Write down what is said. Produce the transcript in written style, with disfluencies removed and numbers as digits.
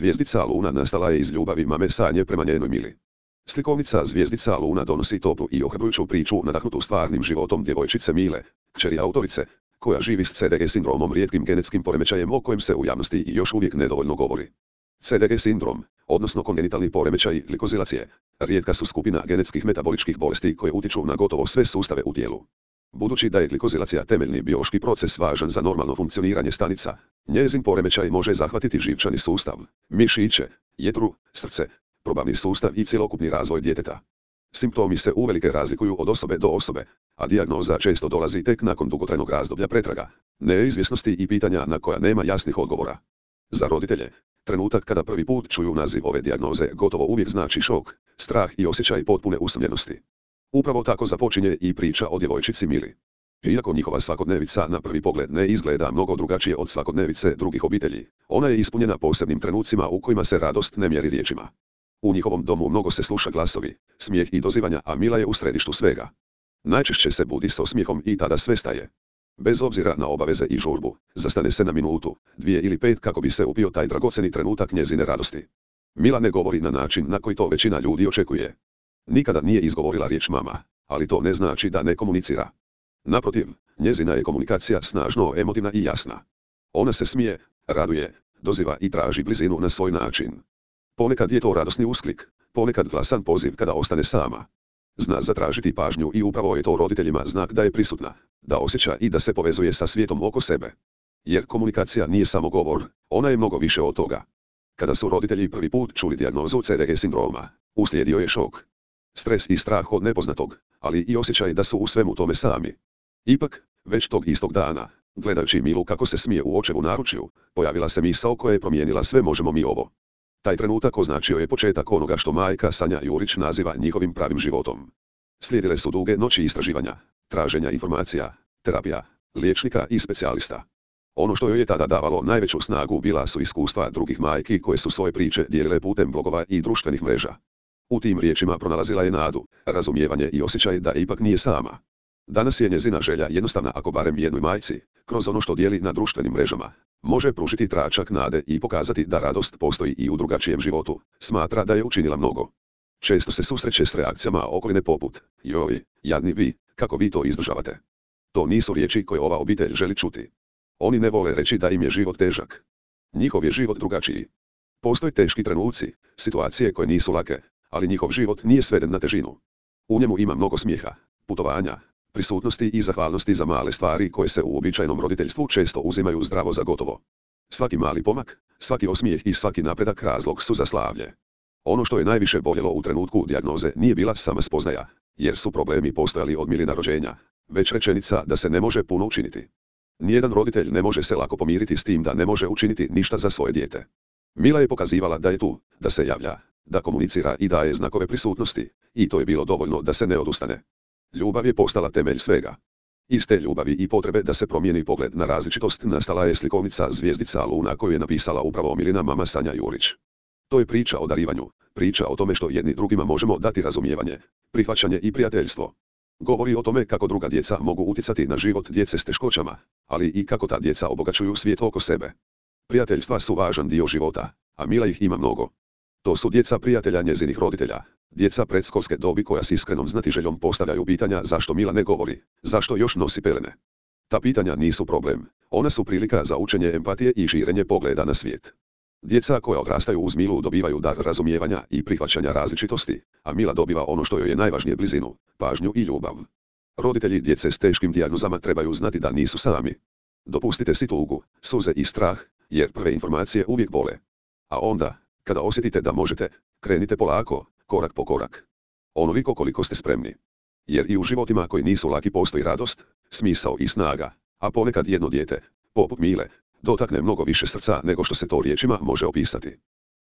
Zvijezdica Luna nastala je iz ljubavi mame Sanje prema njenoj Mili. Slikovnica Zvijezdica Luna donosi toplu i ohrabrujuću priču nadahnutu stvarnim životom djevojčice Mile, kćeri autorice, koja živi s CDG sindromom, rijetkim genetskim poremećajem o kojem se u javnosti i još uvijek nedovoljno govori. CDG sindrom, odnosno kongenitalni poremećaj glikozilacije, rijetka su skupina genetskih metaboličkih bolesti koje utječu na gotovo sve sustave u tijelu. Budući da je glikozilacija temeljni biološki proces važan za normalno funkcioniranje stanica, njezin poremećaj može zahvatiti živčani sustav, mišiće, jetru, srce, probavni sustav i cjelokupni razvoj djeteta. Simptomi se uvelike razlikuju od osobe do osobe, a dijagnoza često dolazi tek nakon dugotrajnog razdoblja pretraga, neizvjesnosti i pitanja na koja nema jasnih odgovora. Za roditelje, trenutak kada prvi put čuju naziv ove dijagnoze gotovo uvijek znači šok, strah i osjećaj potpune usamljenosti. Upravo tako započinje i priča o djevojčici Mili. Iako njihova svakodnevica na prvi pogled ne izgleda mnogo drugačije od svakodnevice drugih obitelji, ona je ispunjena posebnim trenucima u kojima se radost ne mjeri riječima. U njihovom domu mnogo se sluša glasovi, smijeh i dozivanja, a Mila je u središtu svega. Najčešće se budi s osmijehom i tada sve staje. Bez obzira na obaveze i žurbu, zastane se na minutu, 2 ili 5 kako bi se upio taj dragocjeni trenutak njezine radosti. Mila ne govori na način na koji to većina ljudi očekuje. Nikada nije izgovorila riječ mama, ali to ne znači da ne komunicira. Naprotiv, njezina je komunikacija snažno emotivna i jasna. Ona se smije, raduje, doziva i traži blizinu na svoj način. Ponekad je to radosni usklik, ponekad glasan poziv kada ostane sama. Zna zatražiti pažnju i upravo je to roditeljima znak da je prisutna, da osjeća i da se povezuje sa svijetom oko sebe. Jer komunikacija nije samo govor, ona je mnogo više od toga. Kada su roditelji prvi put čuli dijagnozu CDG sindroma, uslijedio je šok. Stres i strah od nepoznatog, ali i osjećaj da su u svemu tome sami. Ipak, već tog istog dana, gledajući Milu kako se smije u očevu naručju, pojavila se misao koja je promijenila sve. Možemo mi ovo. Taj trenutak označio je početak onoga što majka Sanja Jurić naziva njihovim pravim životom. Slijedile su duge noći istraživanja, traženja informacija, terapija, liječnika i specijalista. Ono što joj je tada davalo najveću snagu bila su iskustva drugih majki koje su svoje priče dijelile putem blogova i društvenih mreža. U tim riječima pronalazila je nadu, razumijevanje i osjećaj da ipak nije sama. Danas je njezina želja jednostavna, ako barem jednoj majci, kroz ono što dijeli na društvenim mrežama, može pružiti tračak nade i pokazati da radost postoji i u drugačijem životu, smatra da je učinila mnogo. Često se susreće s reakcijama okoline poput: joj, jadni vi, kako vi to izdržavate. To nisu riječi koje ova obitelj želi čuti. Oni ne vole reći da im je život težak. Njihov je život drugačiji. Postoje teški trenuci, situacije koje nisu lake, ali njihov život nije sveden na težinu. U njemu ima mnogo smijeha, putovanja, prisutnosti i zahvalnosti za male stvari koje se u uobičajenom roditeljstvu često uzimaju zdravo za gotovo. Svaki mali pomak, svaki osmijeh i svaki napredak razlog su za slavlje. Ono što je najviše boljelo u trenutku dijagnoze nije bila sama spoznaja, jer su problemi postojali od Milina rođenja, već rečenica da se ne može puno učiniti. Nijedan roditelj ne može se lako pomiriti s tim da ne može učiniti ništa za svoje dijete. Mila je pokazivala da je tu, da se javlja, da komunicira i daje znakove prisutnosti, i to je bilo dovoljno da se ne odustane. Ljubav je postala temelj svega. Iz te ljubavi i potrebe da se promijeni pogled na različitost nastala je slikovnica Zvijezdica Luna koju je napisala upravo Milina mama Sanja Jurić. To je priča o darivanju, priča o tome što jedni drugima možemo dati razumijevanje, prihvaćanje i prijateljstvo. Govori o tome kako druga djeca mogu utjecati na život djece s teškoćama, ali i kako ta djeca obogaćuju svijet oko sebe. Prijateljstva su važan dio života, a Mila ih ima mnogo. To su djeca prijatelja njezinih roditelja, djeca predškolske dobi koja s iskrenom znatiželjom postavljaju pitanja zašto Mila ne govori, zašto još nosi pelene. Ta pitanja nisu problem, ona su prilika za učenje empatije i širenje pogleda na svijet. Djeca koja odrastaju uz Milu dobivaju dar razumijevanja i prihvaćanja različitosti, a Mila dobiva ono što joj je najvažnije: blizinu, pažnju i ljubav. Roditelji djece s teškim dijagnozama trebaju znati da nisu sami. Dopustite si tugu, suze i strah, jer prve informacije uvijek bole. A onda, kada osjetite da možete, krenite polako, korak po korak. Onoliko koliko ste spremni. Jer i u životima koji nisu laki postoji radost, smisao i snaga, a ponekad jedno dijete, poput Mile, dotakne mnogo više srca nego što se to riječima može opisati.